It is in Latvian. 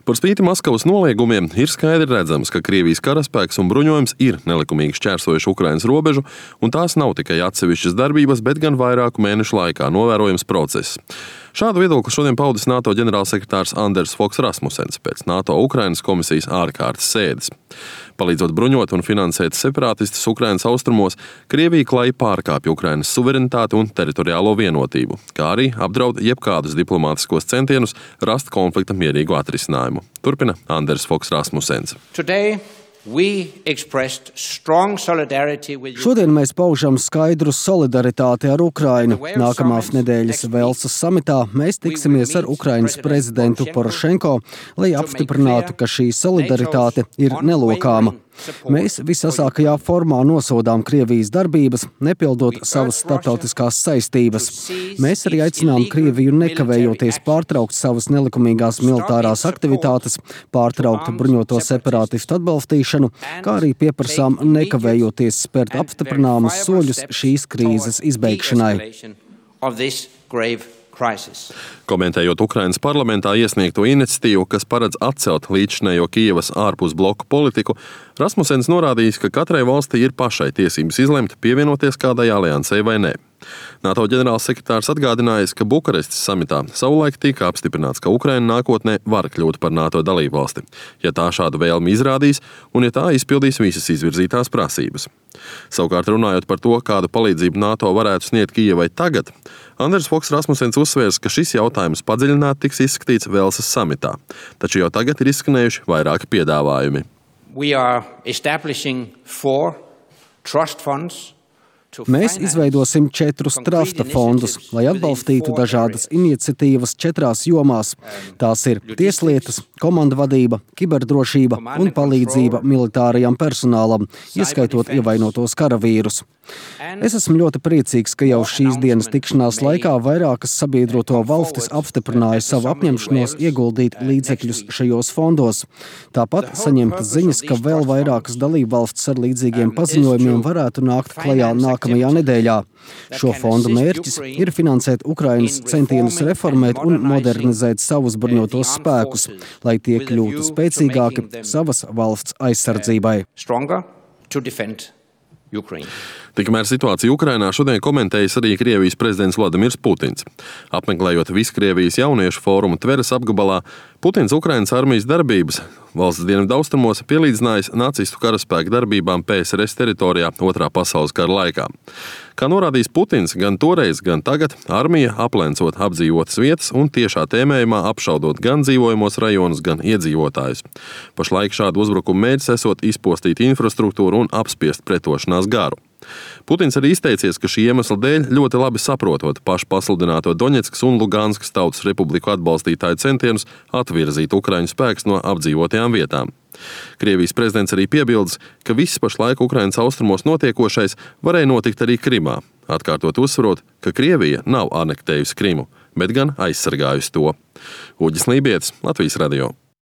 Par spīti Maskavas noliegumiem ir skaidri redzams, ka Krievijas karaspēks un bruņojums ir nelikumīgi šķērsojuši Ukrainas robežu, un tās nav tikai atsevišķas darbības, bet gan vairāku mēnešu laikā novērojams process. Šādu viedokli šodien paudis NATO ģenerālsekretārs Anders Fogh Rasmussens pēc NATO Ukrainas komisijas ārkārtas sēdes. Palīdzot bruņot un finansēt separātistus Ukrainas austrumos, Krievija klajā pārkāpj Ukrainas suverenitāti un teritoriālo vienotību, kā arī apdraud jebkādus diplomātiskos centienus rast konflikta mierīgu atrisinājumu. Turpina Anders Fogh Rasmussens. Šodien mēs paužam skaidru solidaritāti ar Ukrainu. Nākamās nedēļas Velsas samitā mēs tiksimies ar Ukrainas prezidentu Porošenko, lai apstiprinātu, ka šī solidaritāte ir nelokāma. Mēs visasākajā formā nosodām Krievijas darbības, nepildot savas starptautiskās saistības. Mēs arī aicinām Krieviju nekavējoties pārtraukt savas nelikumīgās militārās aktivitātes, pārtraukt bruņoto separātistu atbalstīšanu, kā arī pieprasām nekavējoties spērt apstiprināmus soļus šīs krīzes izbeigšanai. Komentējot Ukrainas parlamentā iesniegto iniciatīvu, kas paredz atcelt līdzšinējo Kijevas ārpus bloku politiku, Rasmussens norādījis, ka katrai valstī ir pašai tiesības izlemt pievienoties kādai aliansei vai nē. NATO ģenerālsekretārs atgādinājis, ka Bukarestes samitā savulaik tika apstiprināts, ka Ukraina nākotnē var kļūt par NATO dalībvalsti, ja tā šādu vēlmi izrādīs un ja tā izpildīs visas izvirzītās prasības. Savukārt runājot par to, kādu palīdzību NATO varētu sniegt Kijevai tagad, Anders Fogh Rasmussens uzsvērs, ka šis jautājums padziļināti tiks izskatīts Velsas samitā, taču jau tagad ir izskanējuši vairāki piedāvājumi. Mēs izveidosim 4 trusta fondus, lai atbalstītu dažādas iniciatīvas 4 jomās. Tās ir tieslietas, komandvadība, kiberdrošība un palīdzība militārajam personālam, ieskaitot ievainotos karavīrus. Es esmu ļoti priecīgs, ka jau šīs dienas tikšanās laikā vairākas sabiedroto valstis apstiprināja savu apņemšanos ieguldīt līdzekļus šajos fondos. Tāpat saņemtas ziņas, ka vēl vairākas dalībvalstis ar līdzīgiem paziņojumiem varētu nākt klajā nākamajā nedēļā. Šo fondu mērķis ir finansēt Ukrainas centienus reformēt un modernizēt savus bruņotos spēkus, lai tie kļūtu spēcīgāki savas valsts aizsardzībai. Tikmēr situāciju Ukrainā šodien komentējis arī Krievijas prezidents Vladimirs Putins. Apmeklējot Viskrievijas jauniešu fórumu Tveres apgabalā, Putins Ukrainas armijas darbības valsts dienvidaustrumos pielīdzinājis nacistu karaspēku darbībām PSRS teritorijā Otrā pasaules kara laikā. Kā norādījis Putins, gan toreiz, gan tagad armija aplencot apdzīvotas vietas un tiešā tēmējumā apšaudot gan dzīvojamos rajonus, gan iedzīvotājus. Pašlaik šādu uzbrukumu mērķis esot izpostīt infrastruktūru un apspiest pretošanās garu. Putins arī izteicies, ka šī iemesla dēļ ļoti labi saprotot pašu pasludināto Doņetskas un Luganskas tautas republiku atbalstītāju centienus atvirzīt Ukraiņu spēkus no apdzīvotajām vietām. Krievijas prezidents arī piebildes, ka viss pašlaik Ukrainas austrumos notiekošais varēja notikt arī Krimā, atkārtot uzsverot, ka Krievija nav anektējusi Krimu, bet gan aizsargājusi to. Uģis Lībietis, Latvijas radio.